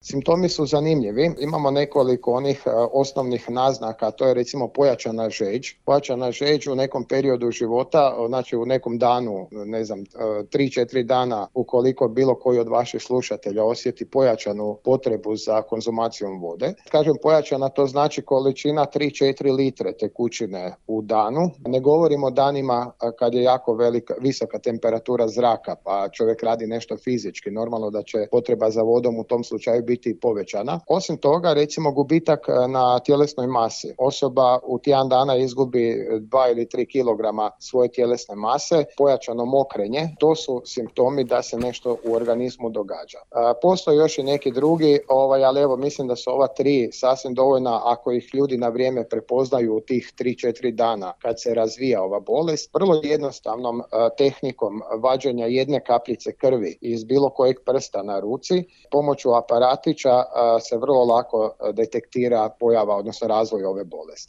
Simptomi su zanimljivi, imamo nekoliko onih osnovnih naznaka, to je recimo pojačana žeđ. Pojačana žeđ u nekom periodu života, znači u nekom danu, 3-4 dana, ukoliko bilo koji od vaših slušatelja osjeti pojačanu potrebu za konzumacijom vode. Kažem pojačana, to znači količina 3-4 litre tekućine u danu. Ne govorimo o danima kad je jako visoka temperatura zraka, pa čovjek radi nešto fizički. Normalno da će potreba za vodom u tom slučaju biti povećana. Osim toga, recimo gubitak na tjelesnoj masi. Osoba u tjedan dana izgubi 2 ili 3 kilograma svoje tjelesne mase, pojačano mokrenje, to su simptomi da se nešto u organizmu događa. Postoje još i neki drugi, ali evo mislim da su ova 3 sasvim dovoljna ako ih ljudi na vrijeme prepoznaju u tih 3-4 dana kad se razvija ova bolest. Vrlo jednostavnom tehnikom vađenja jedne kapljice krvi iz bilo kojeg prsta na ruci, pomoću aparatića se vrlo lako detektira pojava, odnosno razvoj ove bolesti.